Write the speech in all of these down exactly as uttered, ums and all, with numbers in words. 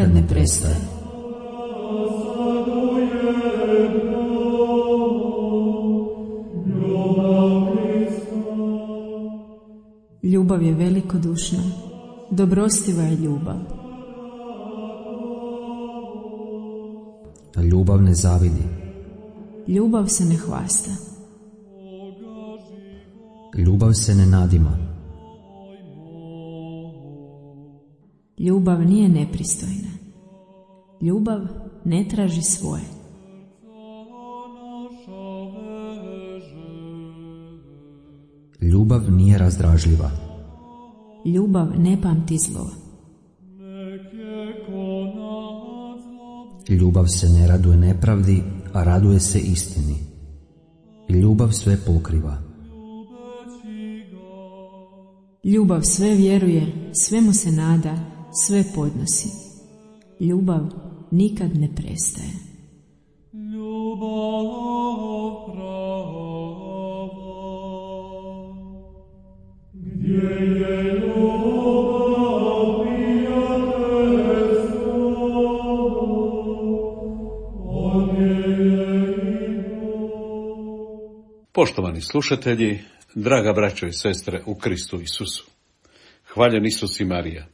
nikad ne prestaje. Ljubav je velikodušna, dobrostiva je ljubav. Ljubav ne zavidi. Ljubav se ne hvasta. Ljubav se ne nadima. Ljubav nije nepristojna. Ljubav ne traži svoje. Ljubav nije razdražljiva. Ljubav ne pamti zlo. Ljubav se ne raduje nepravdi, a raduje se istini. Ljubav sve pokriva. Ljubav sve vjeruje, sve mu se nada, sve podnosi. Ljubav nikad ne prestaje. Poštovani slušatelji, draga braćo i sestre u Kristu Isusu, hvaljen Isus i Marija.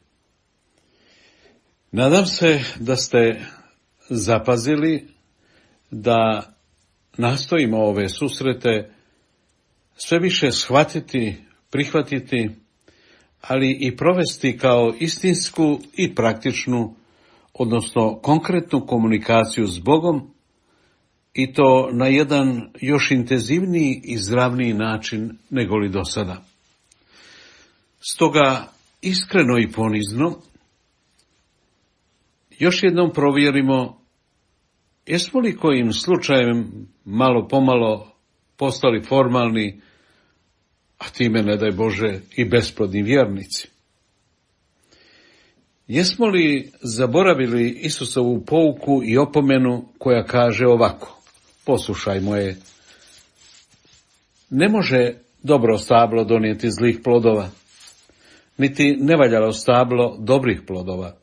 Nadam se da ste zapazili da nastojimo ove susrete sve više shvatiti, prihvatiti, ali i provesti kao istinsku i praktičnu, odnosno konkretnu komunikaciju s Bogom, i to na jedan još intenzivniji i zdravniji način nego li do sada. Stoga iskreno i ponizno još jednom provjerimo jesmo li kojim slučajem malo pomalo postali formalni, a time, ne daj Bože, i besplodni vjernici. Jesmo li zaboravili Isusovu pouku i opomenu koja kaže ovako: poslušajmo je. Ne može dobro stablo donijeti zlih plodova, niti nevaljalo stablo dobrih plodova.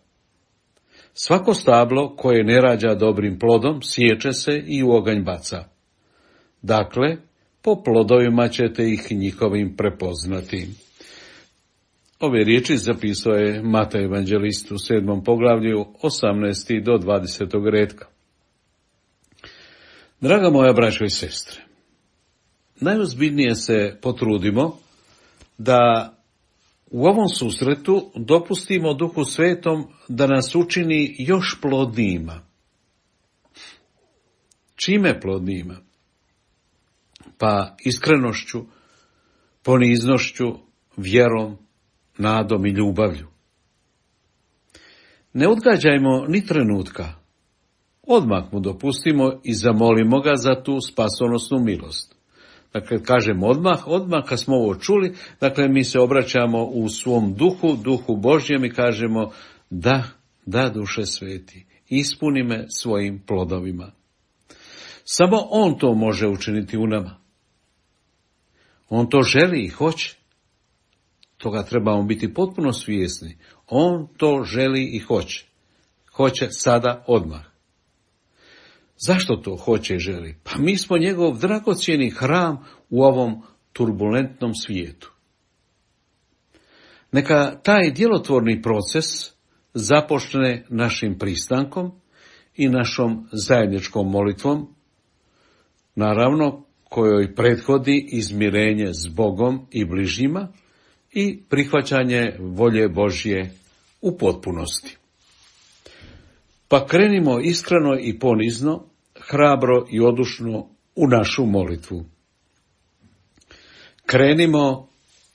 Svako stablo koje ne rađa dobrim plodom sječe se i u oganj baca. Dakle, po plodovima ćete ih njihovim prepoznati. Ove riječi zapisao je Matej evanđelist u sedmom poglavlju, osamnaesti do dvadesetog retka. Draga moja braćo i sestre, najozbiljnije se potrudimo da u ovom susretu dopustimo Duhu Svetom da nas učini još plodnijima. Čime plodnijima? Pa iskrenošću, poniznošću, vjerom, nadom i ljubavlju. Ne odgađajmo ni trenutka. Odmah mu dopustimo i zamolimo ga za tu spasonosnu milost. Dakle, kažemo odmah, odmah kad smo ovo čuli, dakle mi se obraćamo u svom duhu, duhu Božjem i kažemo da, da Duše Sveti, ispuni me svojim plodovima. Samo on to može učiniti u nama. On to želi i hoće. Toga trebamo biti potpuno svjesni. On to želi i hoće. Hoće sada odmah. Zašto to hoće i želi? Pa mi smo njegov dragocjeni hram u ovom turbulentnom svijetu. Neka taj djelotvorni proces započne našim pristankom i našom zajedničkom molitvom, naravno kojoj prethodi izmirenje s Bogom i bližnjima i prihvaćanje volje Božje u potpunosti. Pa krenimo iskreno i ponizno, hrabro i odušno u našu molitvu. Krenimo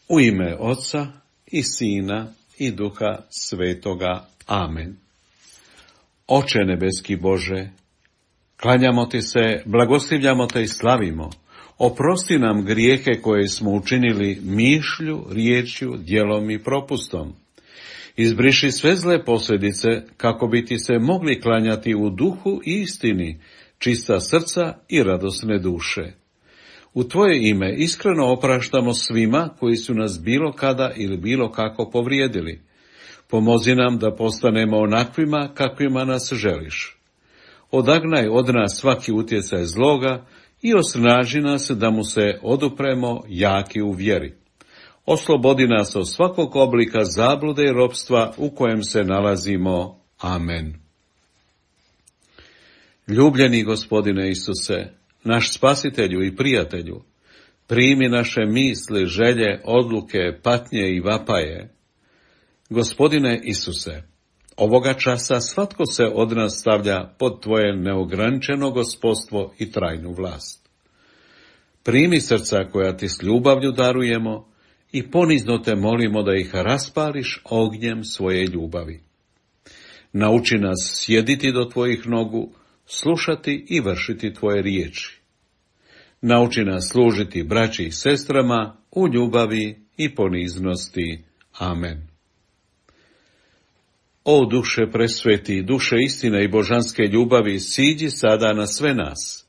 u ime Oca i Sina i Duha Svetoga. Amen. Oče nebeski Bože, klanjamo ti se, blagoslivljamo te i slavimo. Oprosti nam grijehe koje smo učinili mišlju, riječju, djelom i propustom. Izbriši sve zle posljedice kako bi ti se mogli klanjati u duhu i istini, čista srca i radosne duše. U tvoje ime iskreno opraštamo svima koji su nas bilo kada ili bilo kako povrijedili. Pomozi nam da postanemo onakvima kakvima nas želiš. Odagnaj od nas svaki utjecaj zloga i osnaži nas da mu se odupremo jaki u vjeri. Oslobodi nas od svakog oblika zablude i ropstva u kojem se nalazimo. Amen. Ljubljeni Gospodine Isuse, naš spasitelju i prijatelju, primi naše misli, želje, odluke, patnje i vapaje. Gospodine Isuse, ovoga časa svatko se od nas stavlja pod Tvoje neograničeno gospodstvo i trajnu vlast. Primi srca koja Ti s ljubavlju darujemo i ponizno Te molimo da ih raspališ ognjem svoje ljubavi. Nauči nas sjediti do Tvojih nogu, slušati i vršiti Tvoje riječi. Nauči nas služiti braći i sestrama u ljubavi i poniznosti. Amen. O duše presveti, duše istine i božanske ljubavi, siđi sada na sve nas.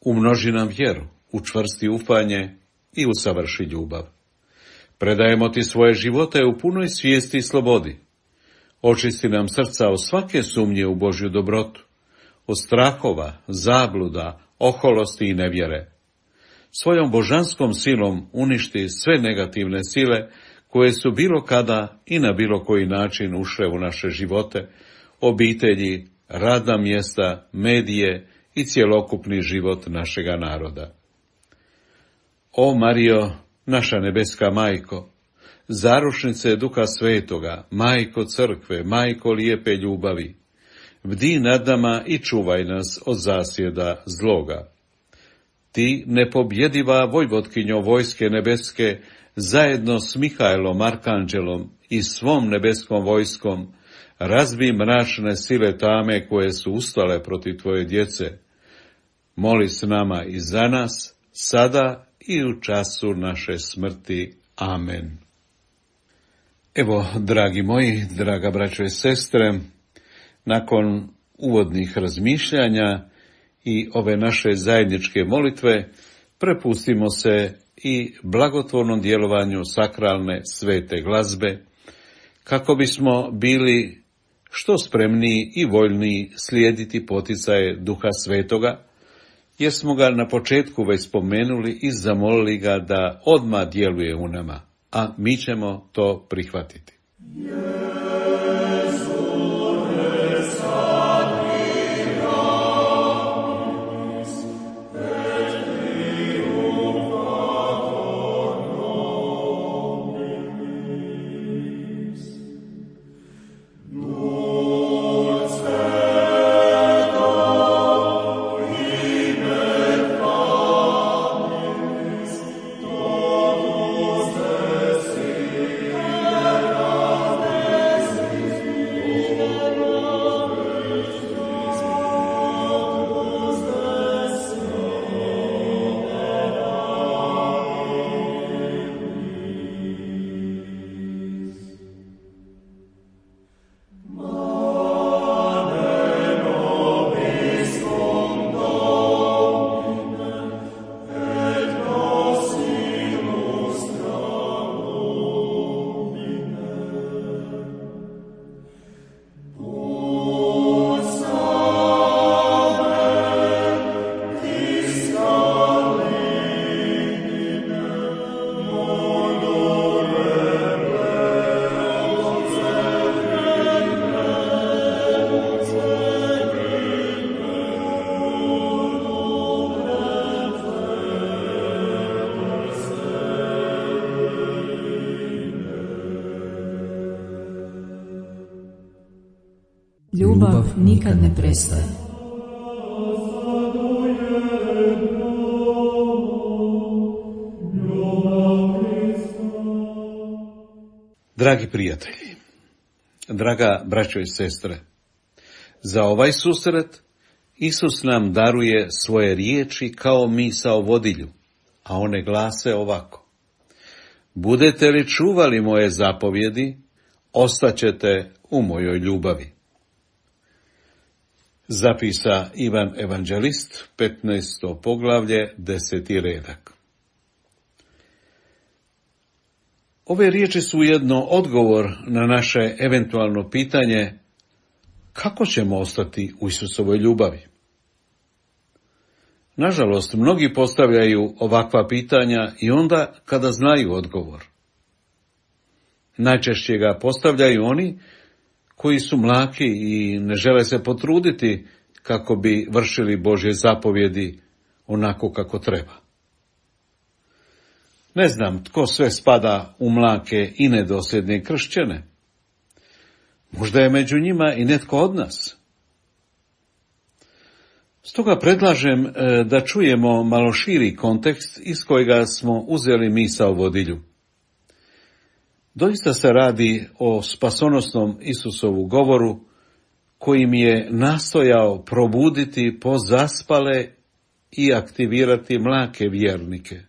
Umnoži nam vjeru, učvrsti ufanje i usavrši ljubav. Predajemo Ti svoje živote u punoj svijesti i slobodi. Očisti nam srca od svake sumnje u Božju dobrotu, od strahova, zabluda, oholosti i nevjere. Svojom božanskom silom uništi sve negativne sile koje su bilo kada i na bilo koji način ušle u naše živote, obitelji, radna mjesta, medije i cjelokupni život našega naroda. O Marijo, naša nebeska majko, zarušnice Duha Svetoga, majko crkve, majko lijepe ljubavi, bdi nad nama i čuvaj nas od zasjeda zloga. Ti, nepobjediva vojvotkinjo vojske nebeske, zajedno s Mihajlom Arkanđelom i svom nebeskom vojskom, razbi mračne sile tame koje su ustale protiv Tvoje djece. Moli s nama i za nas, sada i u času naše smrti. Amen. Evo, dragi moji, draga braćo i sestre, nakon uvodnih razmišljanja i ove naše zajedničke molitve, prepustimo se i blagotvornom djelovanju sakralne svete glazbe, kako bismo bili što spremniji i voljniji slijediti poticaje Duha Svetoga, jer smo ga na početku već spomenuli i zamolili ga da odmah djeluje u nama, a mi ćemo to prihvatiti. Ljubav nikad ne prestaje. Dragi prijatelji, draga braćo i sestre, za ovaj susret Isus nam daruje svoje riječi kao misao vodilju, a one glase ovako: budete li čuvali moje zapovjedi, ostaćete u mojoj ljubavi. Zapisa Ivan Evanđelist, petnaesto poglavlje, deseti redak. Ove riječi su ujedno odgovor na naše eventualno pitanje kako ćemo ostati u Isusovoj ljubavi. Nažalost, mnogi postavljaju ovakva pitanja i onda kada znaju odgovor. Najčešće ga postavljaju oni koji su mlaki i ne žele se potruditi kako bi vršili Božje zapovjedi onako kako treba. Ne znam tko sve spada u mlake i nedosljedne kršćane. Možda je među njima i netko od nas. Stoga predlažem da čujemo malo širi kontekst iz kojega smo uzeli misao vodilju. Doista se radi o spasonosnom Isusovu govoru kojim je nastojao probuditi pozaspale i aktivirati mlake vjernike,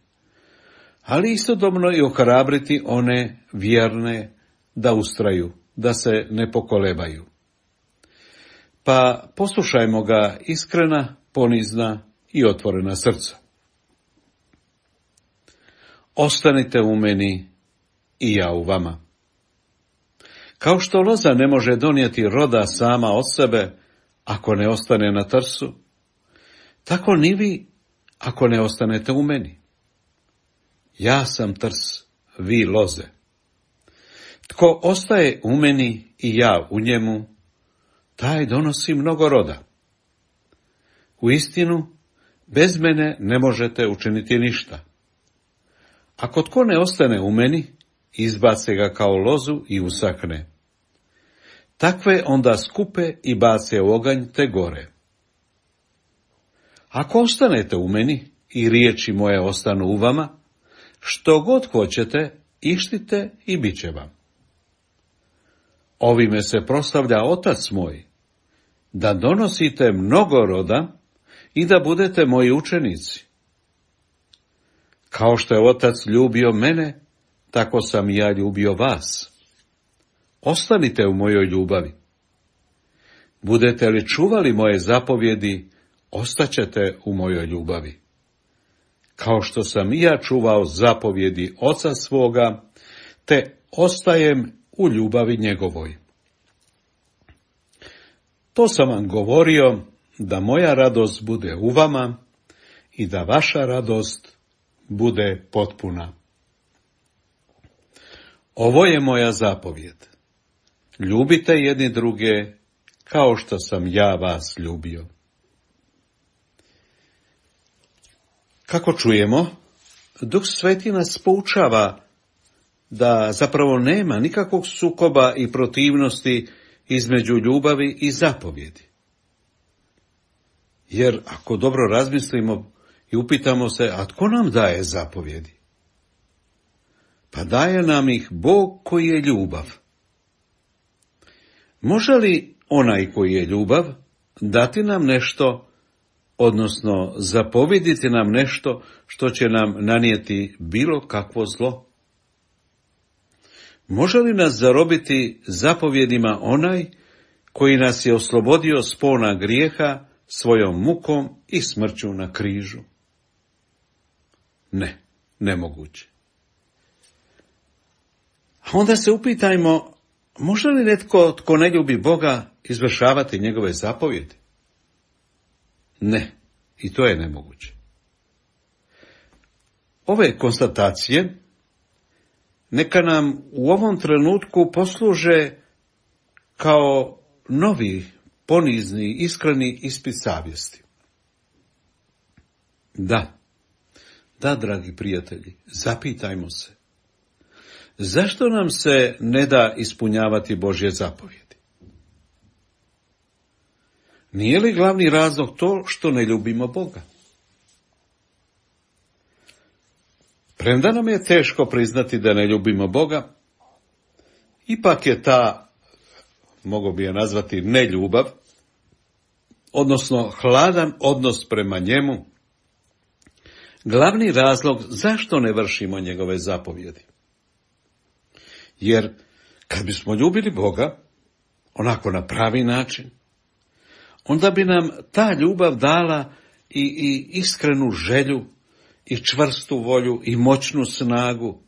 ali istodobno i ohrabriti one vjerne da ustraju, da se ne pokolebaju. Pa poslušajmo ga iskrena, ponizna i otvorena srca. Ostanite u meni i ja u vama. Kao što loza ne može donijeti roda sama od sebe ako ne ostane na trsu, tako ni vi ako ne ostanete u meni. Ja sam trs, vi loze. Tko ostaje u meni i ja u njemu, taj donosi mnogo roda. Uistinu, bez mene ne možete učiniti ništa. Ako tko ne ostane u meni, izbace ga kao lozu i usakne. Takve onda skupe i bace u oganj te gore. Ako ostanete u meni i riječi moje ostanu u vama, što god hoćete, ištite i bit će vam. Ovime se proslavlja Otac moj, da donosite mnogo roda i da budete moji učenici. Kao što je Otac ljubio mene, tako sam i ja ljubio vas. Ostanite u mojoj ljubavi. Budete li čuvali moje zapovjedi, ostaćete u mojoj ljubavi. Kao što sam i ja čuvao zapovjedi Oca svoga, te ostajem u ljubavi njegovoj. To sam vam govorio, da moja radost bude u vama i da vaša radost bude potpuna. Ovo je moja zapovjed. Ljubite jedni druge kao što sam ja vas ljubio. Kako čujemo, Duh Sveti nas poučava da zapravo nema nikakvog sukoba i protivnosti između ljubavi i zapovjedi. Jer ako dobro razmislimo i upitamo se, a tko nam daje zapovjedi? Pa daje nam ih Bog koji je ljubav. Može li onaj koji je ljubav dati nam nešto, odnosno zapovjediti nam nešto što će nam nanijeti bilo kakvo zlo? Može li nas zarobiti zapovjedima onaj koji nas je oslobodio spona grijeha svojom mukom i smrću na križu? Ne, nemoguće. A onda se upitajmo, može li netko tko ne ljubi Boga izvršavati njegove zapovjedi? Ne, i to je nemoguće. Ove konstatacije neka nam u ovom trenutku posluže kao novi, ponizni, iskreni ispit savjesti. Da, da, dragi prijatelji, zapitajmo se. Zašto nam se ne da ispunjavati Božje zapovjedi? Nije li glavni razlog to što ne ljubimo Boga? Premda nam je teško priznati da ne ljubimo Boga, ipak je ta, mogu bi je nazvati, neljubav, odnosno hladan odnos prema njemu, glavni razlog zašto ne vršimo njegove zapovjedi. Jer kad bismo ljubili Boga, onako na pravi način, onda bi nam ta ljubav dala i, i iskrenu želju, i čvrstu volju, i moćnu snagu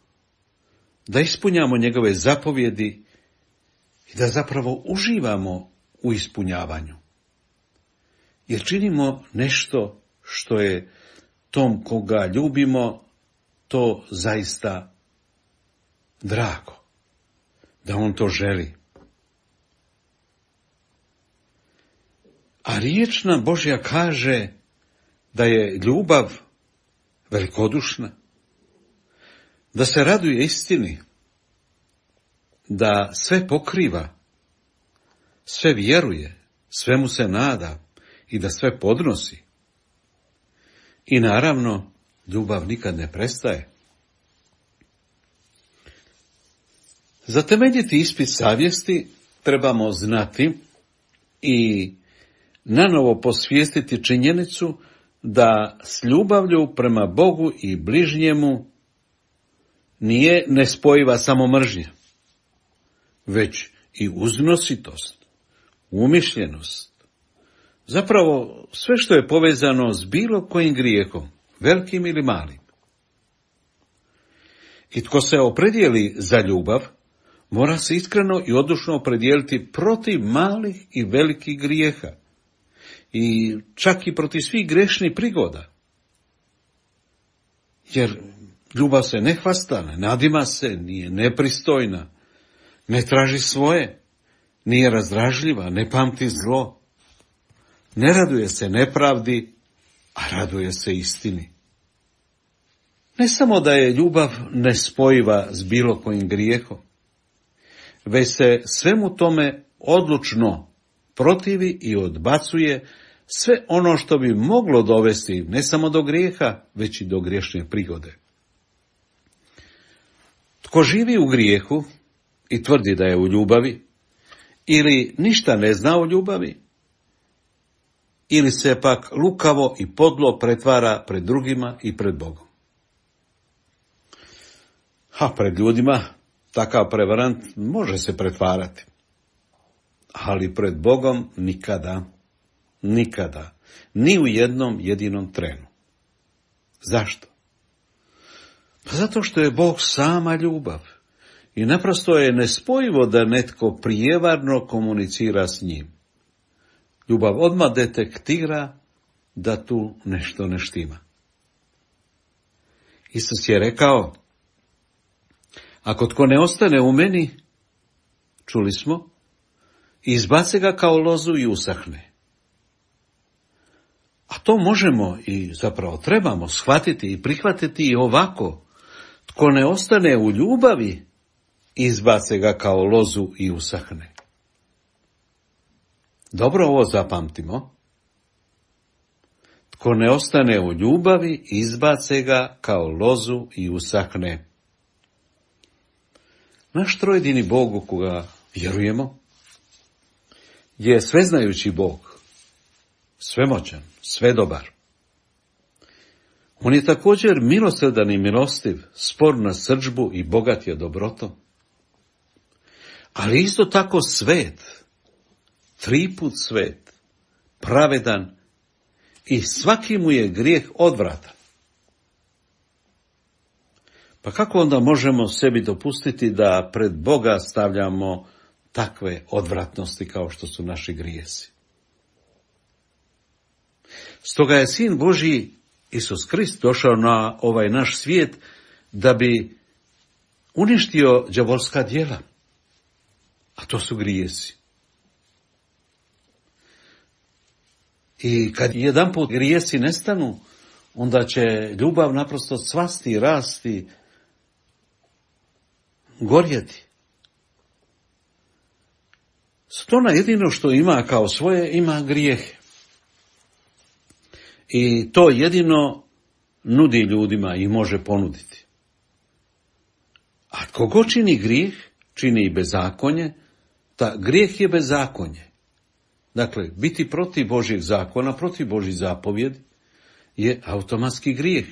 da ispunjamo njegove zapovjedi i da zapravo uživamo u ispunjavanju. Jer činimo nešto što je tom koga ljubimo to zaista drago, da on to želi. A riječ nam Božja kaže da je ljubav velikodušna, da se raduje istini, da sve pokriva, sve vjeruje, svemu se nada i da sve podnosi. I naravno, ljubav nikad ne prestaje. Za temeljiti ispit savjesti trebamo znati i nanovo posvijestiti činjenicu da s ljubavlju prema Bogu i bližnjemu nije nespojiva samo mržnja, već i uznositost, umišljenost. Zapravo sve što je povezano s bilo kojim grijehom, velikim ili malim. I tko se opredijeli za ljubav, mora se iskreno i odlučno opredijeliti protiv malih i velikih grijeha i čak i protiv svih grešnih prigoda. Jer ljubav se ne hvasta, ne nadima se, nije nepristojna, ne traži svoje, nije razdražljiva, ne pamti zlo, ne raduje se nepravdi, a raduje se istini. Ne samo da je ljubav nespojiva s bilo kojim grijehom, već se svemu tome odlučno protivi i odbacuje sve ono što bi moglo dovesti ne samo do grijeha, već i do griješne prigode. Tko živi u grijehu i tvrdi da je u ljubavi, ili ništa ne zna o ljubavi, ili se pak lukavo i podlo pretvara pred drugima i pred Bogom. A pred ljudima takav prevarant može se pretvarati, ali pred Bogom nikada, nikada, ni u jednom jedinom trenu. Zašto? Pa zato što je Bog sama ljubav i naprosto je nespojivo da netko prijevarno komunicira s njim. Ljubav odmah detektira da tu nešto ne štima. Isus je rekao, ako tko ne ostane u meni, čuli smo, izbace ga kao lozu i usahne. A to možemo i zapravo trebamo shvatiti i prihvatiti i ovako. Tko ne ostane u ljubavi, izbace ga kao lozu i usahne. Dobro ovo zapamtimo. Tko ne ostane u ljubavi, izbace ga kao lozu i usahne. Naš trojedini Bog u koga vjerujemo je sveznajući Bog, svemoćan, svedobar. On je također milosrdan i milostiv, spor na srdžbu i bogat je dobrotom. Ali isto tako svet, triput svet, pravedan i svaki mu je grijeh odvratan. Pa kako onda možemo sebi dopustiti da pred Boga stavljamo takve odvratnosti kao što su naši grijesi? Stoga je Sin Božji Isus Krist došao na ovaj naš svijet da bi uništio đavolska djela, a to su grijesi. I kad jedanput grijesi nestanu, onda će ljubav naprosto cvasti, rasti, gorjeti. Stona jedino što ima kao svoje, ima grijehe. I to jedino nudi ljudima i može ponuditi. A tko god čini grijeh, čini i bezakonje, ta grijeh je bezakonje. Dakle, biti protiv Božjeg zakona, protiv Božjih zapovjedi je automatski grijeh.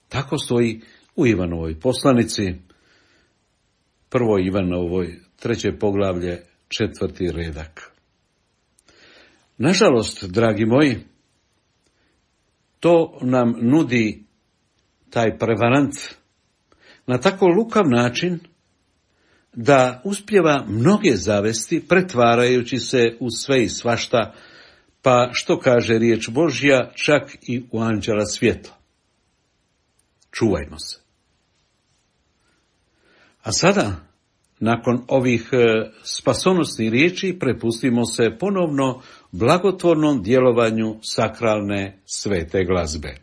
Tako stoji u Ivanovoj poslanici, prvoj Ivanovoj, treće poglavlje, četvrti redak. Nažalost, dragi moji, to nam nudi taj prevarant na tako lukav način da uspijeva mnoge zavesti, pretvarajući se u sve i svašta, pa što kaže riječ Božja, čak i u anđela svjetla. Čuvajmo se. A sada, nakon ovih spasonosnih riječi, prepustimo se ponovno blagotvornom djelovanju sakralne svete glazbe.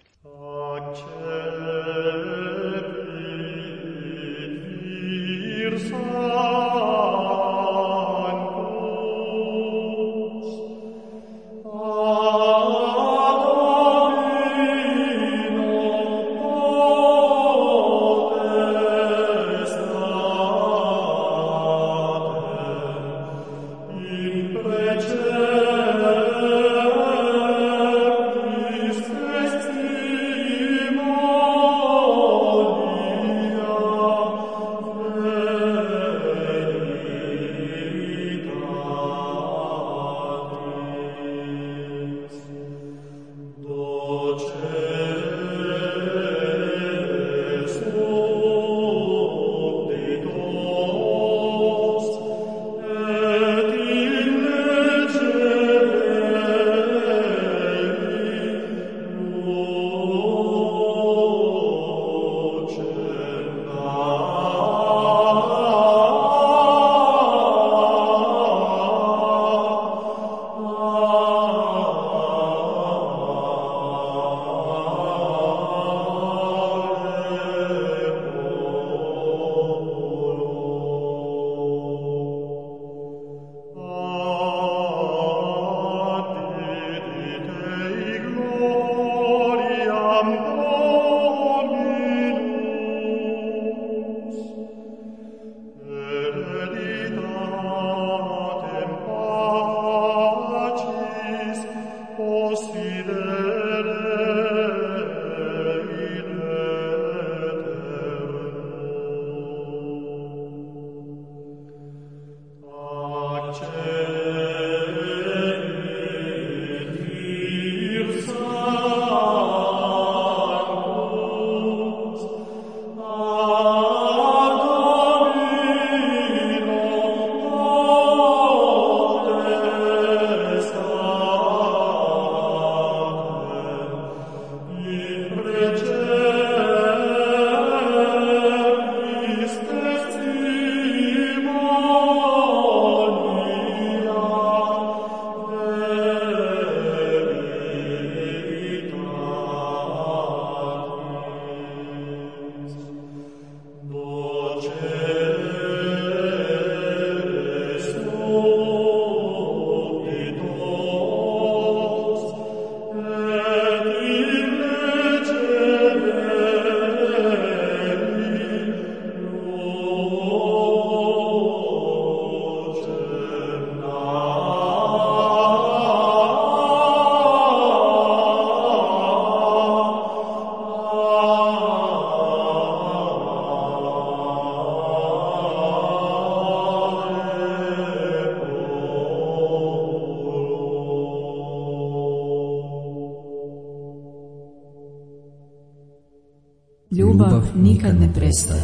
Ljubav nikad ne prestaje.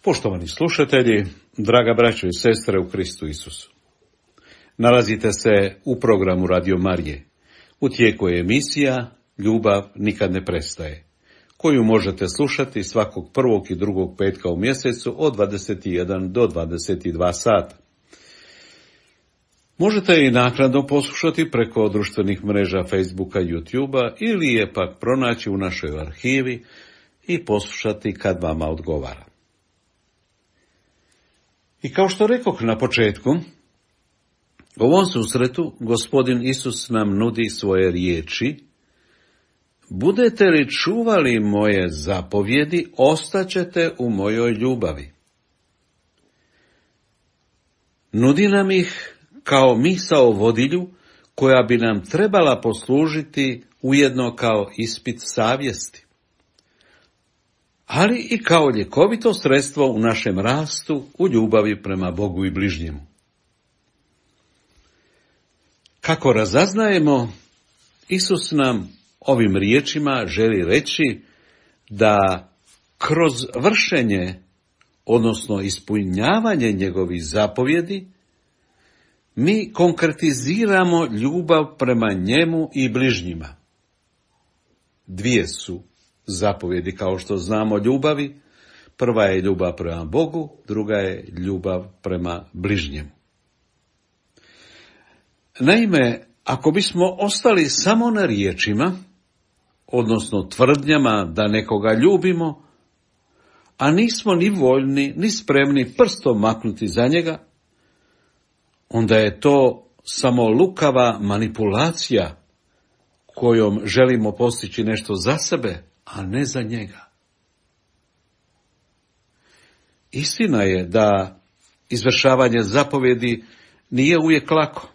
Poštovani slušatelji, draga braćo i sestre u Kristu Isusu. Nalazite se u programu Radio Marije. U tijeku je emisija Ljubav nikad ne prestaje, koju možete slušati svakog prvog i drugog petka u mjesecu od dvadeset jedan do dvadeset dva sata. Možete i naknadno poslušati preko društvenih mreža Facebooka, YouTubea ili je pak pronaći u našoj arhivi i poslušati kad vama odgovara. I kao što rekoh na početku, u ovom susretu Gospodin Isus nam nudi svoje riječi: budete li čuvali moje zapovjedi, ostaćete u mojoj ljubavi. Nudi nam ih kao misao vodilju koja bi nam trebala poslužiti ujedno kao ispit savjesti, ali i kao ljekovito sredstvo u našem rastu u ljubavi prema Bogu i bližnjemu. Kako razaznajemo, Isus nam ovim riječima želi reći da kroz vršenje, odnosno ispunjavanje njegovih zapovjedi, mi konkretiziramo ljubav prema njemu i bližnjima. Dvije su zapovjedi, kao što znamo, ljubavi. Prva je ljubav prema Bogu, druga je ljubav prema bližnjemu. Naime, ako bismo ostali samo na riječima, odnosno tvrdnjama da nekoga ljubimo, a nismo ni voljni, ni spremni prstom maknuti za njega, onda je to samo lukava manipulacija kojom želimo postići nešto za sebe, a ne za njega. Istina je da izvršavanje zapovjedi nije uvijek lako,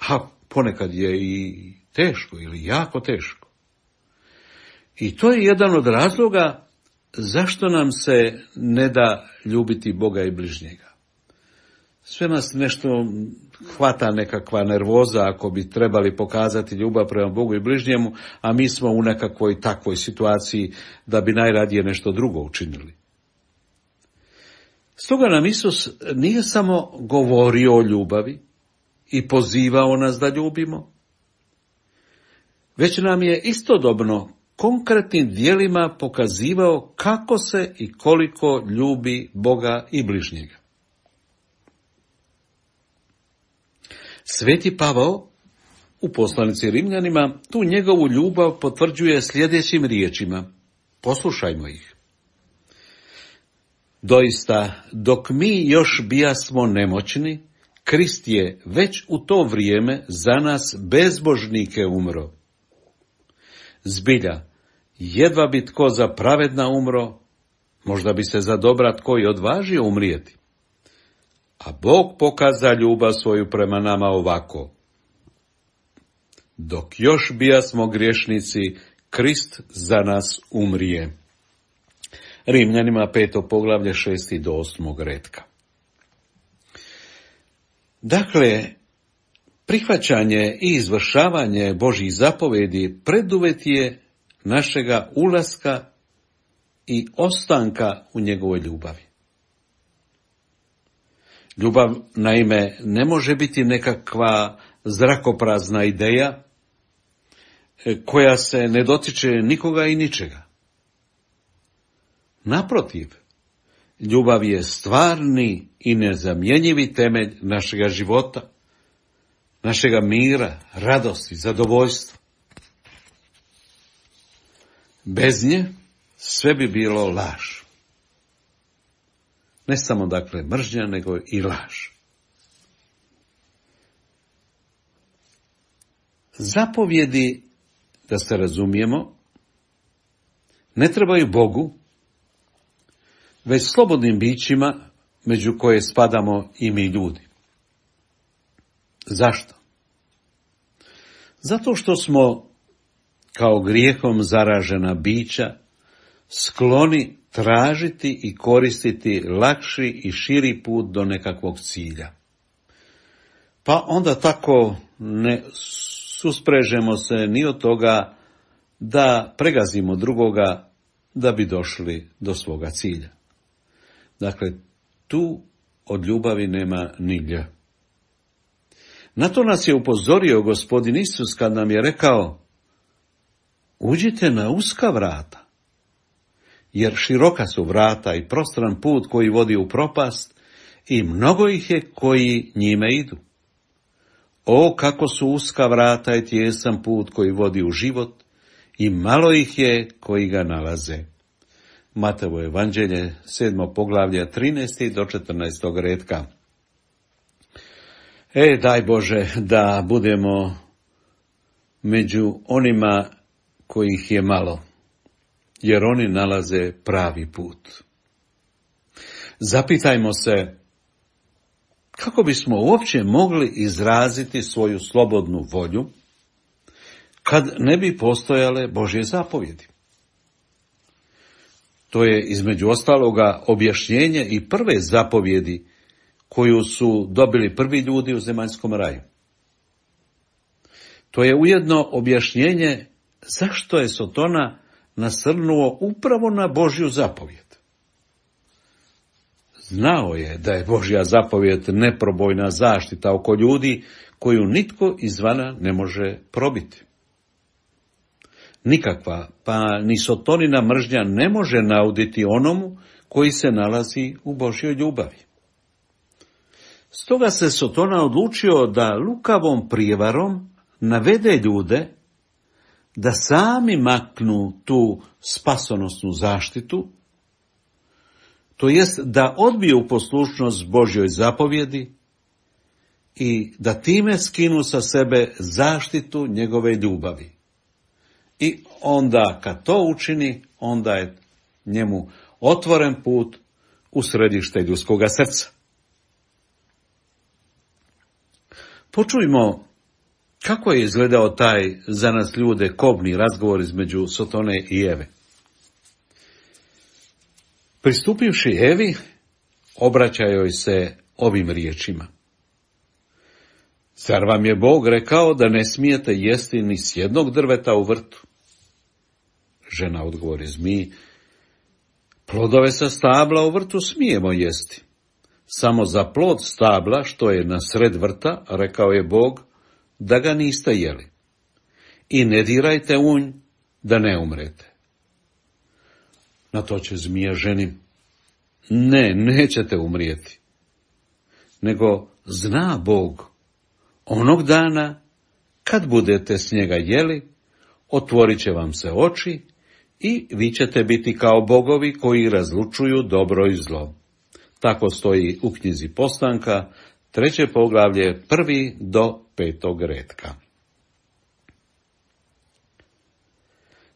a ponekad je i teško ili jako teško. I to je jedan od razloga zašto nam se ne da ljubiti Boga i bližnjega. Sve nas nešto hvata nekakva nervoza ako bi trebali pokazati ljubav prema Bogu i bližnjemu, a mi smo u nekakvoj takvoj situaciji da bi najradije nešto drugo učinili. Stoga nam Isus nije samo govorio o ljubavi i pozivao nas da ljubimo, već nam je istodobno konkretnim djelima pokazivao kako se i koliko ljubi Boga i bližnjega. Sveti Pavao u poslanici Rimljanima tu njegovu ljubav potvrđuje sljedećim riječima. Poslušajmo ih. Doista, dok mi još bijasmo nemoćni, Krist je već u to vrijeme za nas bezbožnike umro. Zbilja, jedva bi tko za pravedna umro, možda bi se za dobra tko i odvažio umrijeti. A Bog pokaza ljubav svoju prema nama ovako. Dok još bijasmo griješnici, Krist za nas umrije. Rimljanima peto poglavlje šesti do osmog retka. Dakle, prihvaćanje i izvršavanje Božjih zapovedi preduvjet je našega ulaska i ostanka u njegovoj ljubavi. Ljubav, naime, ne može biti nekakva zrakoprazna ideja koja se ne dotiče nikoga i ničega. Naprotiv, ljubav je stvarni i nezamjenjivi temelj našega života, našega mira, radosti, zadovoljstva. Bez nje sve bi bilo laž. Ne samo, dakle, mržnja, nego i laž. Zapovjedi, da se razumijemo, ne trebaju Bogu, već slobodnim bićima među koje spadamo i mi ljudi. Zašto? Zato što smo, kao grijehom zaražena bića, skloni tražiti i koristiti lakši i širi put do nekakvog cilja. Pa onda tako ne susprežemo se ni od toga da pregazimo drugoga da bi došli do svoga cilja. Dakle, tu od ljubavi nema ni lj. Na to nas je upozorio Gospodin Isus kad nam je rekao: uđite na uska vrata, jer široka su vrata i prostran put koji vodi u propast i mnogo ih je koji njime idu. O, kako su uska vrata i tijesan put koji vodi u život i malo ih je koji ga nalaze. Mateovo evanđelje, sedmo poglavlje, trinaesti do četrnaestog retka. E, daj Bože da budemo među onima kojih je malo, jer oni nalaze pravi put. Zapitajmo se kako bismo uopće mogli izraziti svoju slobodnu volju kad ne bi postojale Božje zapovjedi. To je između ostaloga objašnjenje i prve zapovjedi koju su dobili prvi ljudi u zemaljskom raju. To je ujedno objašnjenje zašto je Sotona nasrnuo upravo na Božju zapovjed. Znao je da je Božja zapovjed neprobojna zaštita oko ljudi koju nitko izvana ne može probiti. Nikakva, pa ni Sotonina mržnja ne može nauditi onomu koji se nalazi u Božjoj ljubavi. Stoga se Sotona odlučio da lukavom prijevarom navede ljude da sami maknu tu spasonosnu zaštitu, to jest da odbiju poslušnost Božjoj zapovjedi i da time skinu sa sebe zaštitu njegove ljubavi. I onda kad to učini, onda je njemu otvoren put u središte ljudskoga srca. Počujmo kako je izgledao taj za nas ljude kobni razgovor između Sotone i Eve. Pristupivši Evi, obraća joj se ovim riječima. Zar vam je Bog rekao da ne smijete jesti ni s jednog drveta u vrtu? Žena odgovori zmiji, plodove sa stabla u vrtu smijemo jesti. Samo za plod stabla, što je na sred vrta, rekao je Bog, da ga niste jeli. I ne dirajte u nj, da ne umrete. Na to će zmija ženi, ne, nećete umrijeti. Nego zna Bog, onog dana, kad budete s njega jeli, otvorit će vam se oči i vi ćete biti kao bogovi koji razlučuju dobro i zlo. Tako stoji u knjizi Postanka, treće poglavlje, prvi do petog retka.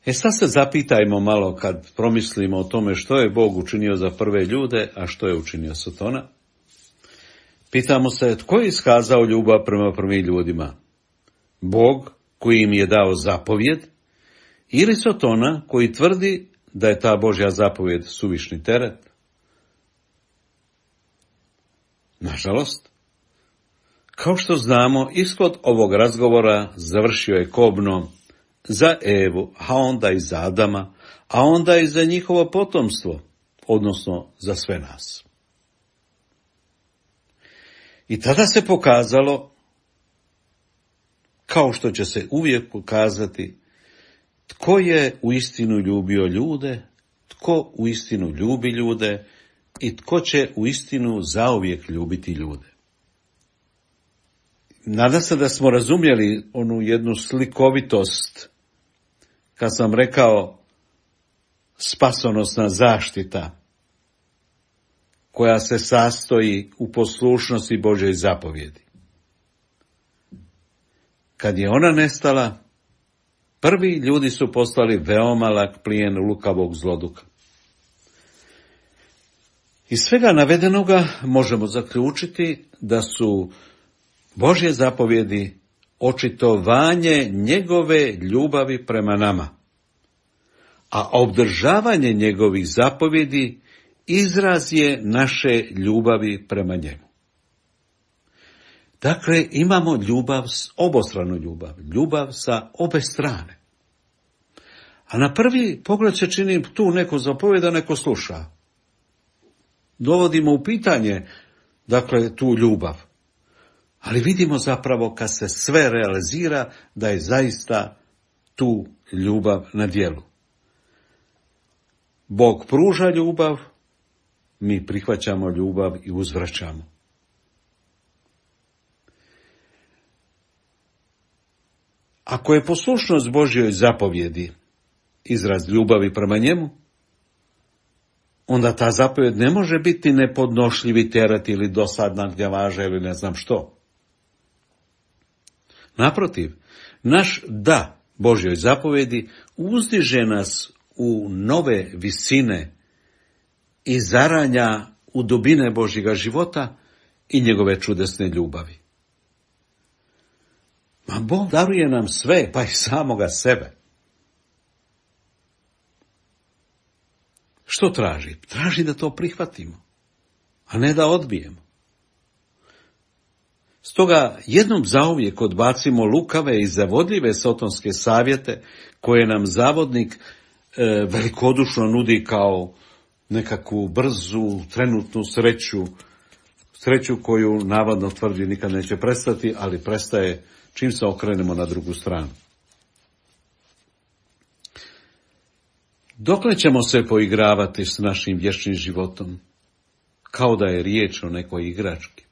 E sad se zapitajmo malo kad promislimo o tome što je Bog učinio za prve ljude, a što je učinio Sotona. Pitamo se tko je iskazao ljubav prema prvim ljudima? Bog koji im je dao zapovjed ili Sotona koji tvrdi da je ta Božja zapovjed suvišni teret? Nažalost, kao što znamo, ishod ovog razgovora završio je kobno za Evu, a onda i za Adama, a onda i za njihovo potomstvo, odnosno za sve nas. I tada se pokazalo, kao što će se uvijek pokazati, tko je uistinu ljubio ljude, tko uistinu ljubi ljude i tko će uistinu zauvijek ljubiti ljude. Nadam se da smo razumjeli onu jednu slikovitost kad sam rekao spasonosna zaštita koja se sastoji u poslušnosti Božjoj zapovjedi. Kad je ona nestala, prvi ljudi su postali veoma lak plijen lukavog zloduka. Iz svega navedenoga možemo zaključiti da su Božje zapovjedi očitovanje njegove ljubavi prema nama, a obdržavanje njegovih zapovjedi izraz je naše ljubavi prema njemu. Dakle, imamo ljubav, obostranu ljubav, ljubav sa obe strane. A na prvi pogled se čini tu neko zapovjeda, neko sluša. Dovodimo u pitanje, dakle, tu ljubav. Ali vidimo zapravo kad se sve realizira da je zaista tu ljubav na djelu. Bog pruža ljubav, mi prihvaćamo ljubav i uzvraćamo. Ako je poslušnost Božjoj zapovjedi izraz ljubavi prema njemu, onda ta zapovjed ne može biti nepodnošljivi teret ili dosadna gnjavaža ili ne znam što. Naprotiv, naš da Božjoj zapovjedi uzdiže nas u nove visine i zaranja u dubine Božjega života i njegove čudesne ljubavi. Ma Bog daruje nam sve, pa i samoga sebe. Što traži? Traži da to prihvatimo, a ne da odbijemo. Stoga jednom zauvijek odbacimo lukave i zavodljive sotonske savjete koje nam zavodnik e, velikodušno nudi kao nekakvu brzu, trenutnu sreću, sreću koju navodno tvrdi nikad neće prestati, ali prestaje čim se okrenemo na drugu stranu. Dokle ćemo se poigravati s našim vječnim životom, kao da je riječ o nekoj igrački?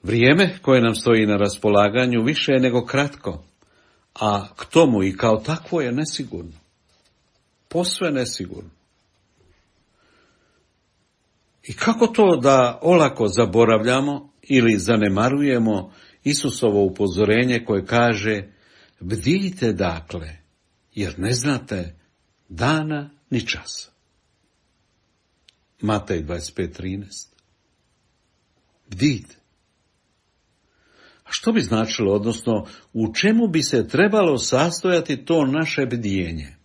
Vrijeme koje nam stoji na raspolaganju više je nego kratko, a k tomu i kao takvo je nesigurno. Posve nesigurno. I kako to da olako zaboravljamo ili zanemarujemo Isusovo upozorenje koje kaže: bdijte dakle, jer ne znate dana ni časa. Matej dvadeset pet trinaest. Bdijte. A što bi značilo, odnosno u čemu bi se trebalo sastojati to naše bdijenje?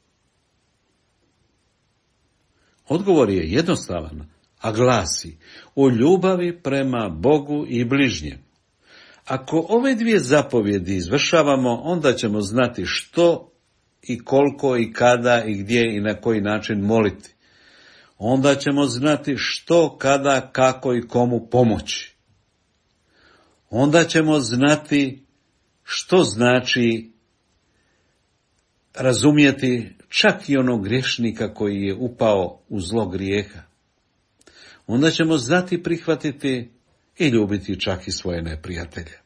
Odgovor je jednostavan, a glasi: o ljubavi prema Bogu i bližnjem. Ako ove dvije zapovjedi izvršavamo, onda ćemo znati što i koliko i kada i gdje i na koji način moliti. Onda ćemo znati što, kada, kako i komu pomoći. Onda ćemo znati što znači razumjeti čak i onog griješnika koji je upao u zlo grijeha. Onda ćemo znati prihvatiti i ljubiti čak i svoje neprijatelje.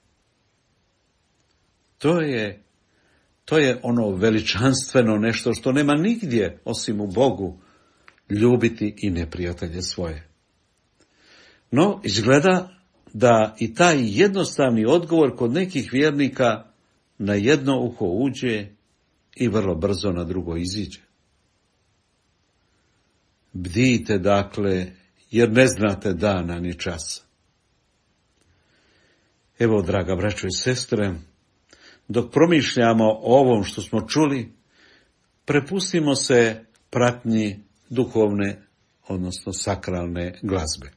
To je, to je ono veličanstveno nešto što nema nigdje osim u Bogu, ljubiti i neprijatelje svoje. No, izgleda da i taj jednostavni odgovor kod nekih vjernika na jedno uho uđe i vrlo brzo na drugo iziđe. Bdijte dakle, jer ne znate dana ni časa. Evo, draga braćo i sestre, dok promišljamo o ovom što smo čuli, prepustimo se pratnji duhovne, odnosno sakralne glazbe.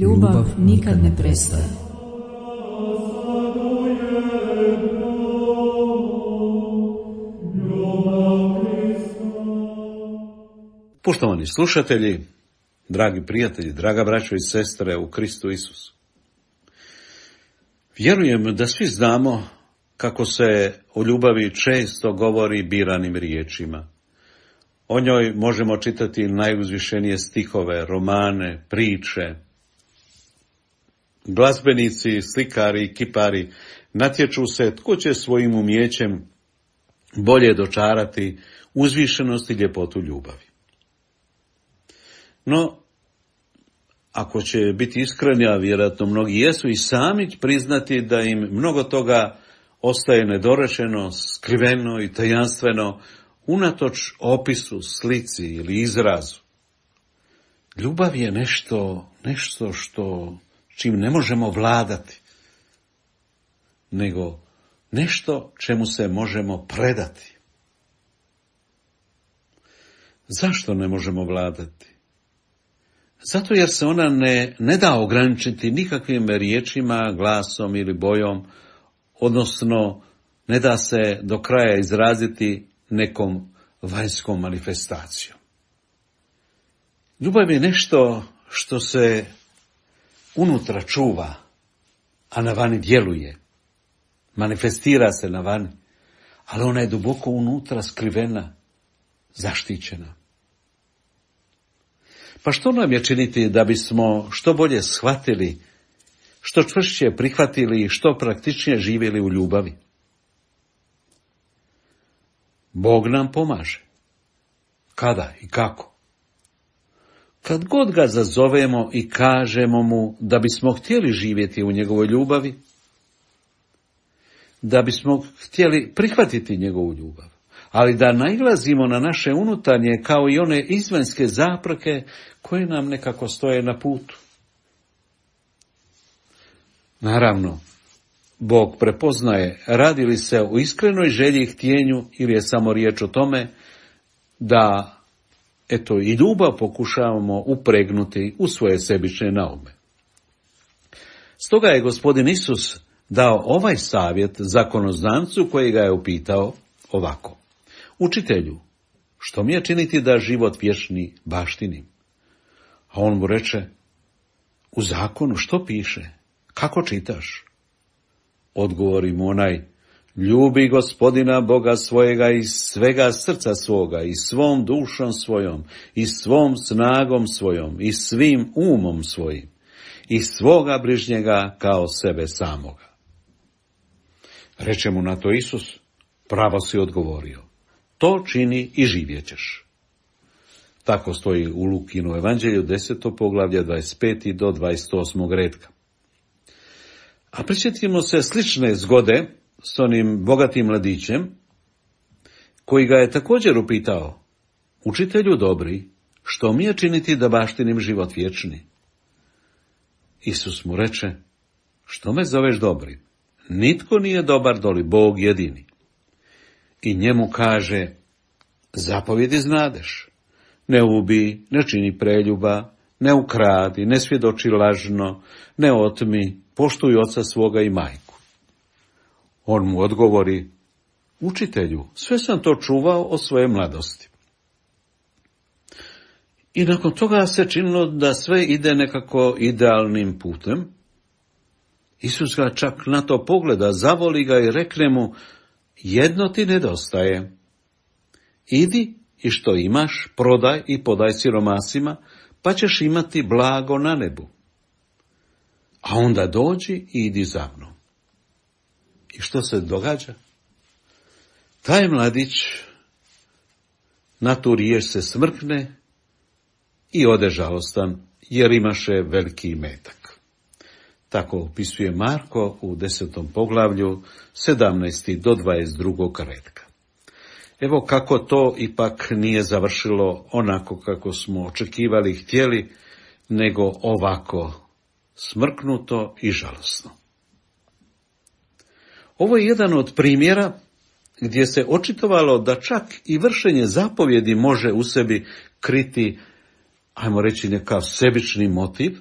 Ljubav nikad ne prestaje. Poštovani slušatelji, dragi prijatelji, draga braćo i sestre u Kristu Isusu. Vjerujem da svi znamo kako se o ljubavi često govori biranim riječima. O njoj možemo čitati najuzvišenije stihove, romane, priče. Glazbenici, slikari i kipari natječu se tko će svojim umijećem bolje dočarati uzvišenost i ljepotu ljubavi. No, ako će biti iskreni, a vjerojatno mnogi jesu, i sami priznati da im mnogo toga ostaje nedorečeno, skriveno i tajanstveno, unatoč opisu, slici ili izrazu. Ljubav je nešto, nešto što čim ne možemo vladati, nego nešto čemu se možemo predati. Zašto ne možemo vladati? Zato jer se ona ne, ne da ograničiti nikakvim riječima, glasom ili bojom, odnosno ne da se do kraja izraziti nekom vanjskom manifestacijom. Ljubav je nešto što se unutra čuva, a na vani djeluje. Manifestira se na vani, ali ona je duboko unutra skrivena, zaštićena. Pa što nam je činiti da bismo što bolje shvatili, što čvršće prihvatili i što praktičnije živjeli u ljubavi? Bog nam pomaže. Kada i kako? Kad god ga zazovemo i kažemo mu da bismo htjeli živjeti u njegovoj ljubavi, da bismo htjeli prihvatiti njegovu ljubav, ali da nailazimo na naše unutarnje kao i one izvanjske zapreke koje nam nekako stoje na putu. Naravno, Bog prepoznaje radi li se o iskrenoj želji i htjenju ili je samo riječ o tome da eto i ljubav pokušavamo upregnuti u svoje sebične naume. Stoga je Gospodin Isus dao ovaj savjet zakonoznancu koji ga je upitao ovako: Učitelju, što mi je činiti da život vječni baštinim? A on mu reče: u zakonu što piše? Kako čitaš? Odgovori mu onaj: ljubi Gospodina Boga svojega iz svega srca svoga, i svom dušom svojom, i svom snagom svojom, i svim umom svojim, i svoga bližnjega kao sebe samoga. Reče mu na to Isus: pravo si odgovorio, to čini i živjet ćeš. Tako stoji u Lukinu evanđelju deseto poglavlje dvadeset peti do dvadeset osmog redka. A prisjetimo se slične zgode s onim bogatim mladićem, koji ga je također upitao: učitelju dobri, što mi je činiti da baštinim život vječni? Isus mu reče: što me zoveš dobri? Nitko nije dobar doli Bog jedini. I njemu kaže: zapovjedi znadeš. Ne ubij, ne čini preljuba, ne ukradi, ne svjedoči lažno, ne otmi, poštuj oca svoga i majku. On mu odgovori: učitelju, sve sam to čuvao od svoje mladosti. I nakon toga se činilo da sve ide nekako idealnim putem. Isus ga čak na to pogleda, zavoli ga i rekne mu: jedno ti nedostaje. Idi i što imaš, prodaj i podaj siromasima, pa ćeš imati blago na nebu. A onda dođi i idi za mnom. I što se događa? Taj mladić na tu riječ se smrkne i ode žalostan, jer imaše veliki imetak. Tako opisuje Marko u desetom poglavlju, sedamnaesti do dvadeset drugog redka. Evo kako to ipak nije završilo onako kako smo očekivali i htjeli, nego ovako, smrknuto i žalosno. Ovo je jedan od primjera gdje se očitovalo da čak i vršenje zapovjedi može u sebi kriti, ajmo reći, nekav sebični motiv,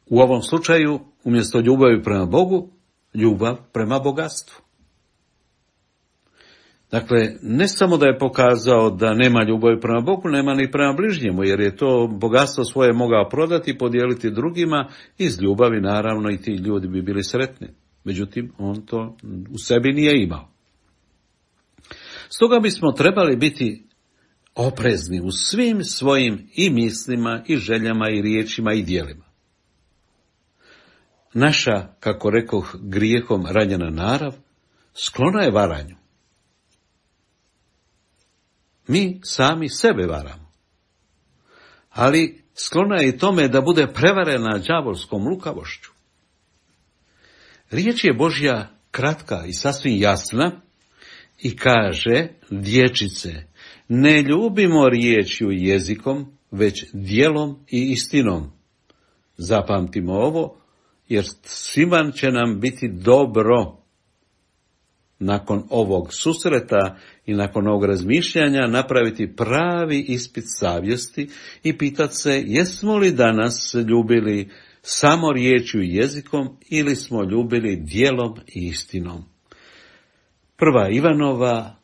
U ovom slučaju, umjesto ljubavi prema Bogu, ljubav prema bogatstvu. Dakle, ne samo da je pokazao da nema ljubavi prema Bogu, nema ni prema bližnjemu, jer je to bogatstvo svoje mogao prodati i podijeliti drugima, iz ljubavi naravno i ti ljudi bi bili sretni. Međutim, on to u sebi nije imao. Stoga bismo trebali biti oprezni u svim svojim i mislima, i željama, i riječima, i djelima. Naša, kako rekoh, grijehom ranjena narav, sklona je varanju. Mi sami sebe varamo. Ali sklona je i tome da bude prevarena đavolskom lukavošću. Riječ je Božja kratka i sasvim jasna i kaže, dječice, ne ljubimo riječju i jezikom, već djelom i istinom. Zapamtimo ovo, jer svima će nam biti dobro. Nakon ovog susreta i nakon ovog razmišljanja napraviti pravi ispit savjesti i pitati se jesmo li danas ljubili samo riječju i jezikom ili smo ljubili djelom i istinom. Prva Ivanova,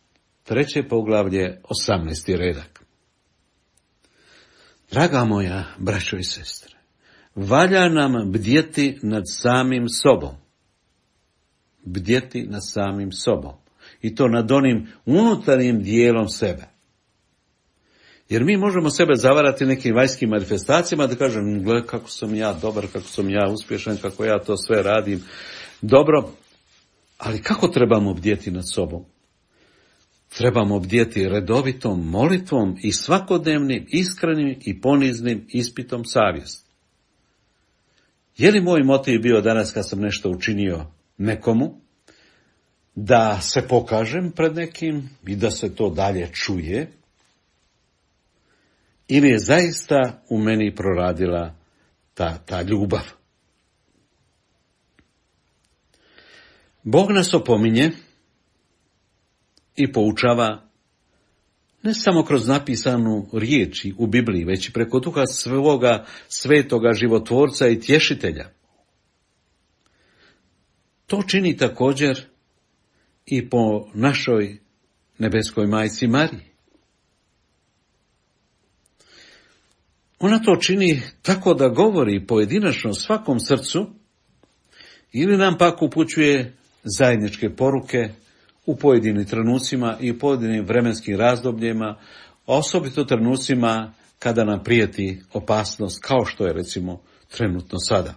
treće poglavlje, osamnaesti redak. Draga moja, braćo i sestre, valja nam bdjeti nad samim sobom. Bdjeti nad samim sobom. I to nad onim unutarnjim dijelom sebe. Jer mi možemo sebe zavarati nekim vanjskim manifestacijama da kažem, gle kako sam ja dobar, kako sam ja uspješan, kako ja to sve radim dobro. Ali kako trebamo bdjeti nad sobom? Trebamo bdjeti redovitom molitvom i svakodnevnim, iskrenim i poniznim ispitom savjesti. Je li moj motiv bio danas kad sam nešto učinio nekomu, da se pokažem pred nekim i da se to dalje čuje, ili je zaista u meni proradila ta, ta ljubav? Bog nas opominje i poučava ne samo kroz napisanu riječi u Bibliji, već i preko duha svoga svetoga životvorca i tješitelja. To čini također i po našoj nebeskoj majci Mariji. Ona to čini tako da govori pojedinačno svakom srcu ili nam pak upućuje zajedničke poruke u pojedinim trenucima i u pojedinim vremenskim razdobljima, osobito trenucima kada nam prijeti opasnost, kao što je recimo trenutno sada.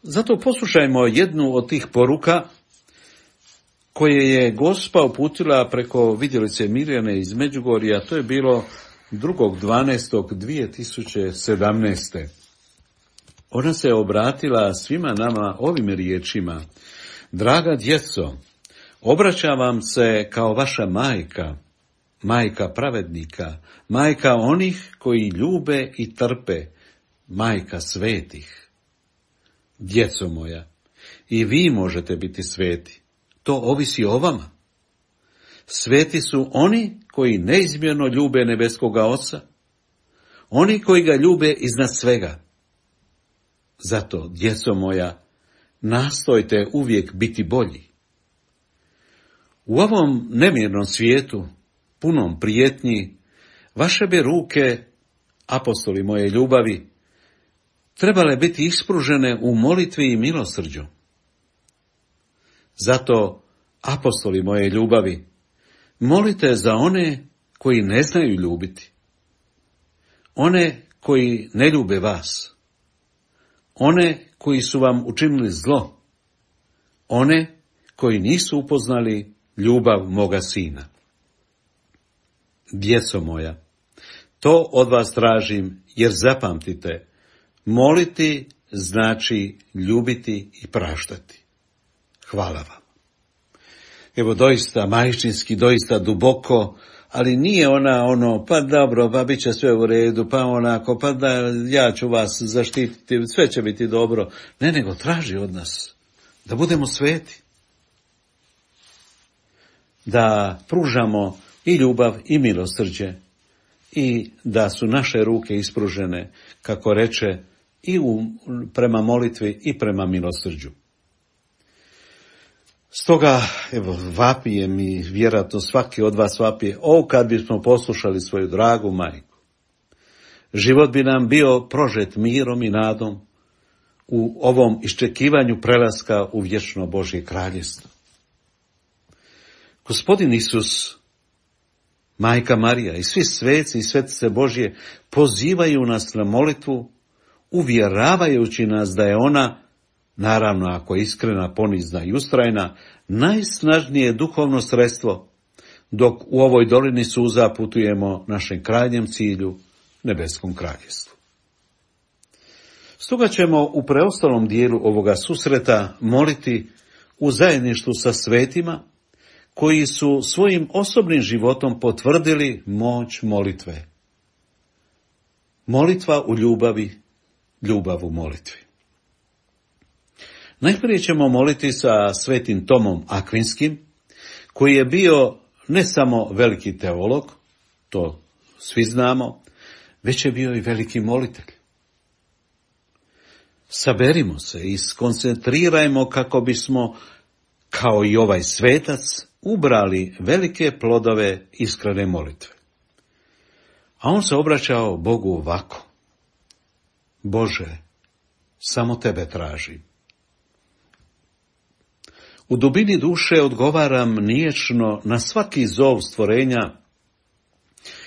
Zato poslušajmo jednu od tih poruka koje je Gospa uputila preko vidjelice Mirjane iz Međugorja, to je bilo drugog dvanaestog dvije tisuće sedamnaeste. Ona se obratila svima nama ovim riječima: draga djeco, obraćam vam se kao vaša majka, majka pravednika, majka onih koji ljube i trpe, majka svetih. Djeco moja, i vi možete biti sveti. To ovisi o vama. Sveti su oni koji neizmjerno ljube nebeskoga Oca, oni koji ga ljube iznad svega. Zato, djeco moja, nastojte uvijek biti bolji. U ovom nemirnom svijetu, punom prijetnji, vaše bi ruke, apostoli moje ljubavi, trebale biti ispružene u molitvi i milosrđu. Zato, apostoli moje ljubavi, molite za one koji ne znaju ljubiti, one koji ne ljube vas, one koji su vam učinili zlo, one koji nisu upoznali ljubav moga sina. Djeco moja, to od vas tražim, jer zapamtite, moliti znači ljubiti i praštati. Hvala vam. Evo doista majčinski, doista duboko, ali nije ona ono, pa dobro, pa bit će sve u redu, pa onako, pa da ja ću vas zaštititi, sve će biti dobro. Ne, nego traži od nas da budemo sveti. Da pružamo i ljubav i milosrđe, i da su naše ruke ispružene, kako reče, i u, prema molitvi i prema milosrđu. Stoga, evo, vapijem i vjerojatno svaki od vas vapije, o, kad bismo poslušali svoju dragu majku. Život bi nam bio prožet mirom i nadom u ovom iščekivanju prelaska u vječno Božje kraljevstvo. Gospodin Isus, Majka Marija i svi sveci i svetice Božje pozivaju nas na molitvu, uvjeravajući nas da je ona, naravno ako je iskrena, ponizna i ustrajna, najsnažnije duhovno sredstvo, dok u ovoj dolini suza putujemo našem krajnjem cilju, nebeskom kraljevstvu. Stoga ćemo u preostalom dijelu ovoga susreta moliti u zajedništvu sa svetima, koji su svojim osobnim životom potvrdili moć molitve. Molitva u ljubavi, ljubav u molitvi. Najprije ćemo moliti sa svetim Tomom Akvinskim, koji je bio ne samo veliki teolog, to svi znamo, već je bio i veliki molitelj. Saberimo se i skoncentrirajmo kako bismo, kao i ovaj svetac, ubrali velike plodove iskrene molitve. A on se obraćao Bogu ovako: Bože, samo tebe tražim. U dubini duše odgovaram niječno na svaki zov stvorenja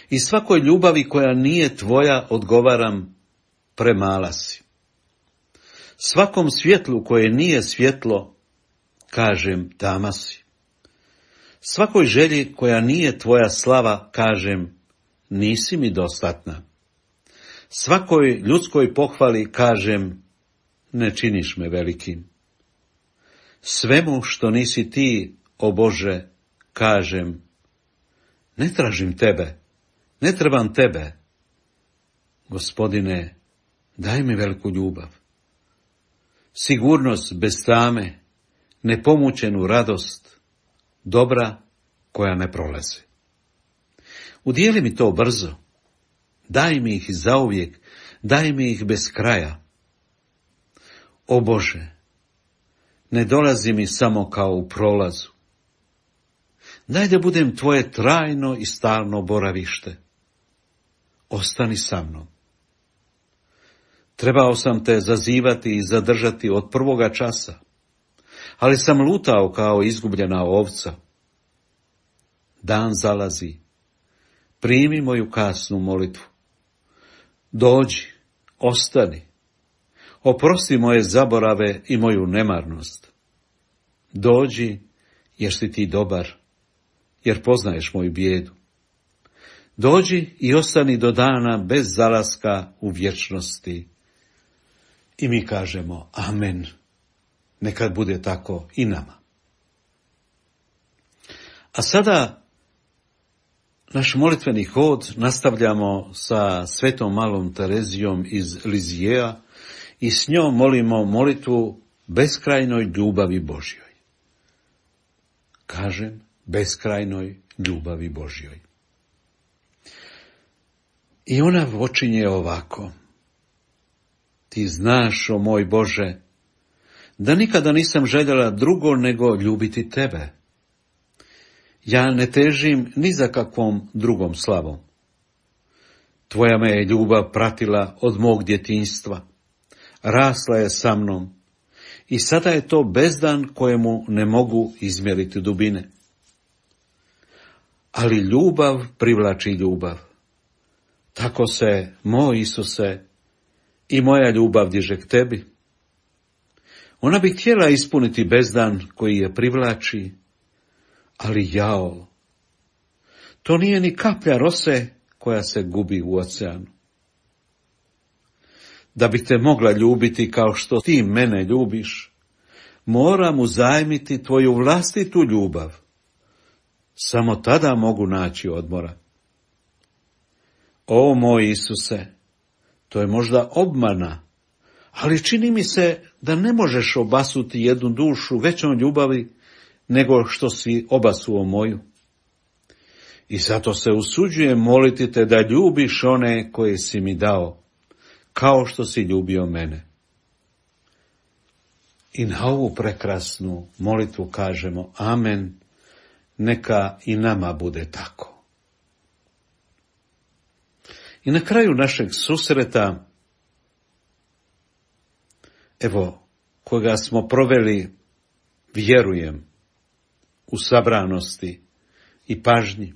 i svakoj ljubavi koja nije tvoja odgovaram: premala si. Svakom svjetlu koje nije svjetlo kažem: tama si. Svakoj želji koja nije tvoja slava kažem: nisi mi dostatna. Svakoj ljudskoj pohvali kažem: ne činiš me velikim. Svemu što nisi ti, o Bože, kažem: ne tražim tebe, ne trebam tebe. Gospodine, daj mi veliku ljubav, sigurnost bez tame, nepomućenu radost, dobra koja ne prolazi. Udijeli mi to brzo, daj mi ih zauvijek, daj mi ih bez kraja. O Bože, ne dolazi mi samo kao u prolazu. Daj da budem tvoje trajno i stalno boravište. Ostani sa mnom. Trebao sam te zazivati i zadržati od prvoga časa, ali sam lutao kao izgubljena ovca. Dan zalazi, primi moju kasnu molitvu. Dođi, ostani, oprosti moje zaborave i moju nemarnost. Dođi, jer si ti dobar, jer poznaješ moju bijedu. Dođi i ostani do dana bez zalaska u vječnosti. I mi kažemo amen, nekad bude tako i nama. A sada naš molitveni hod nastavljamo sa svetom malom Terezijom iz Lizijeja i s njom molimo molitvu beskrajnoj ljubavi Božjoj. Kažem, beskrajnoj ljubavi Božjoj. I ona počinje ovako: ti znaš, o moj Bože, da nikada nisam željela drugo nego ljubiti tebe. Ja ne težim ni za kakvom drugom slavom. Tvoja me je ljubav pratila od mog djetinjstva, rasla je sa mnom i sada je to bezdan kojemu ne mogu izmjeriti dubine. Ali ljubav privlači ljubav. Tako se, moj Isuse, i moja ljubav diže k tebi. Ona bi htjela ispuniti bezdan koji je privlači, ali jao, to nije ni kaplja rose koja se gubi u oceanu. Da bih te mogla ljubiti kao što ti mene ljubiš, moram uzajmiti tvoju vlastitu ljubav. Samo tada mogu naći odmora. O moj Isuse, to je možda obmana, ali čini mi se da ne možeš obasuti jednu dušu većom ljubavi nego što si obasuo moju. I zato se usuđujem moliti te da ljubiš one koje si mi dao, kao što si ljubio mene. I na ovu prekrasnu molitvu kažemo amen, neka i nama bude tako. I na kraju našeg susreta, evo, koga smo proveli, vjerujem, u sabranosti i pažnji,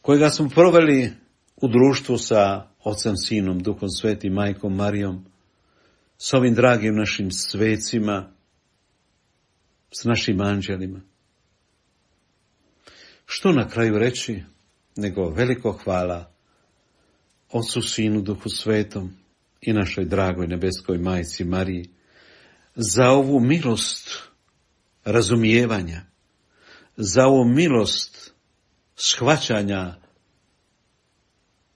kojega smo proveli u društvu sa Ocem, Sinom, Duhom Svetim, Majkom Marijom, s ovim dragim našim svecima, s našim anđelima. Što na kraju reći, nego veliko hvala Ocu, Sinu, Duhu Svetom i našoj dragoj nebeskoj Majci Mariji za ovu milost razumijevanja, za ovu milost shvaćanja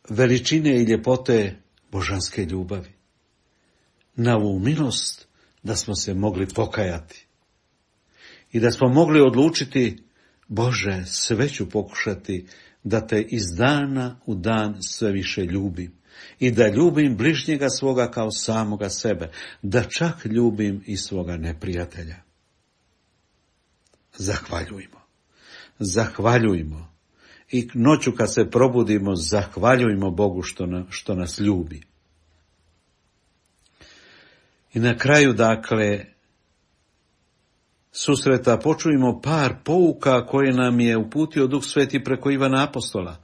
veličine i ljepote božanske ljubavi, na ovu milost da smo se mogli pokajati i da smo mogli odlučiti, Bože, sve ću pokušati da te iz dana u dan sve više ljubim i da ljubim bližnjega svoga kao samoga sebe, da čak ljubim i svoga neprijatelja. Zahvaljujmo, zahvaljujmo i noću kad se probudimo, zahvaljujmo Bogu što, na, što nas ljubi. I na kraju, dakle, susreta počujemo par pouka koje nam je uputio Duh Sveti preko Ivana Apostola.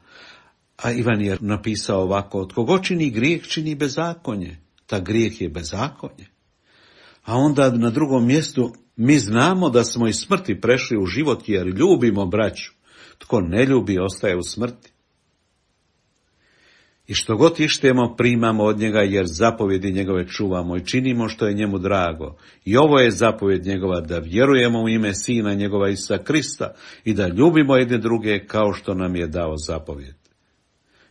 A Ivan je napisao ovako: tko god čini grijeh, čini bezakonje. Ta grijeh je bezakonje. A onda na drugom mjestu: mi znamo da smo iz smrti prešli u život jer ljubimo braću. Tko ne ljubi, ostaje u smrti. I što god ištemo, primamo od njega, jer zapovjedi njegove čuvamo i činimo što je njemu drago. I ovo je zapovjed njegova, da vjerujemo u ime Sina njegova Isusa Krista i da ljubimo jedne druge kao što nam je dao zapovjed.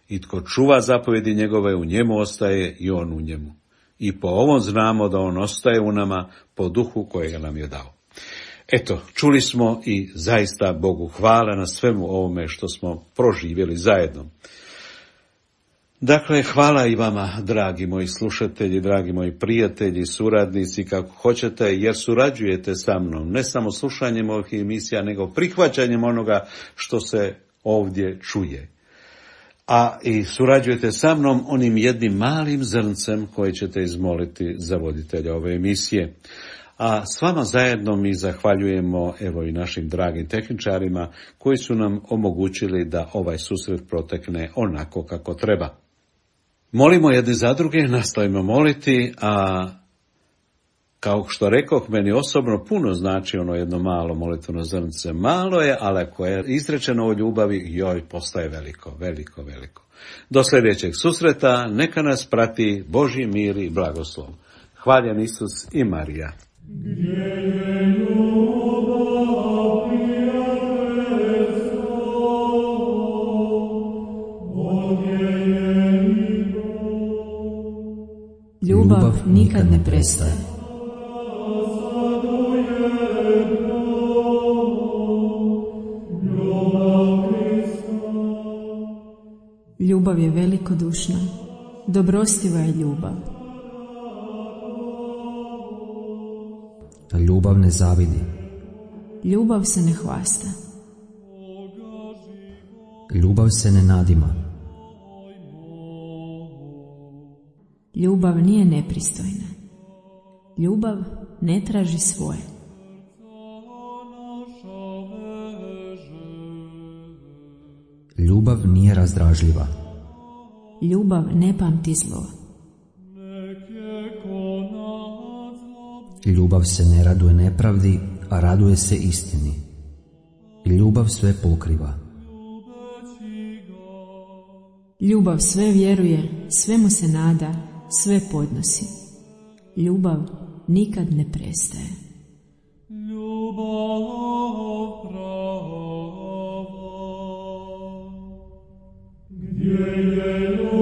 I tko čuva zapovjedi njegove, u njemu ostaje i on u njemu. I po ovom znamo da on ostaje u nama, po duhu kojega nam je dao. Eto, čuli smo i zaista Bogu hvala na svemu ovome što smo proživjeli zajedno. Dakle, hvala i vama, dragi moji slušatelji, dragi moji prijatelji, suradnici, kako hoćete, jer surađujete sa mnom, ne samo slušanjem ovih emisija, nego prihvaćanjem onoga što se ovdje čuje. A i surađujete sa mnom onim jednim malim zrncem koje ćete izmoliti za voditelja ove emisije. A s vama zajedno mi zahvaljujemo evo i našim dragim tehničarima koji su nam omogućili da ovaj susret protekne onako kako treba. Molimo jedni za druge, nastavimo moliti, a kao što rekoh, meni osobno puno znači ono jedno malo molitveno zrnce. Malo je, ali ako je izrečeno o ljubavi, joj, postaje veliko, veliko, veliko. Do sljedećeg susreta, neka nas prati Božji mir i blagoslov. Hvaljen Isus i Marija. Ljubav nikad ne prestaje. Ljubav je velikodušna, dobrostiva je ljubav. Ljubav ne zavidi. Ljubav se ne hvasta. Ljubav se ne nadima. Ljubav nije nepristojna. Ljubav ne traži svoje. Ljubav nije razdražljiva. Ljubav ne pamti zlo. Ljubav se ne raduje nepravdi, a raduje se istini. Ljubav sve pokriva. Ljubav sve vjeruje, svemu se nada, sve podnosi. Ljubav nikad ne prestaje. Ljubav prava, gdje je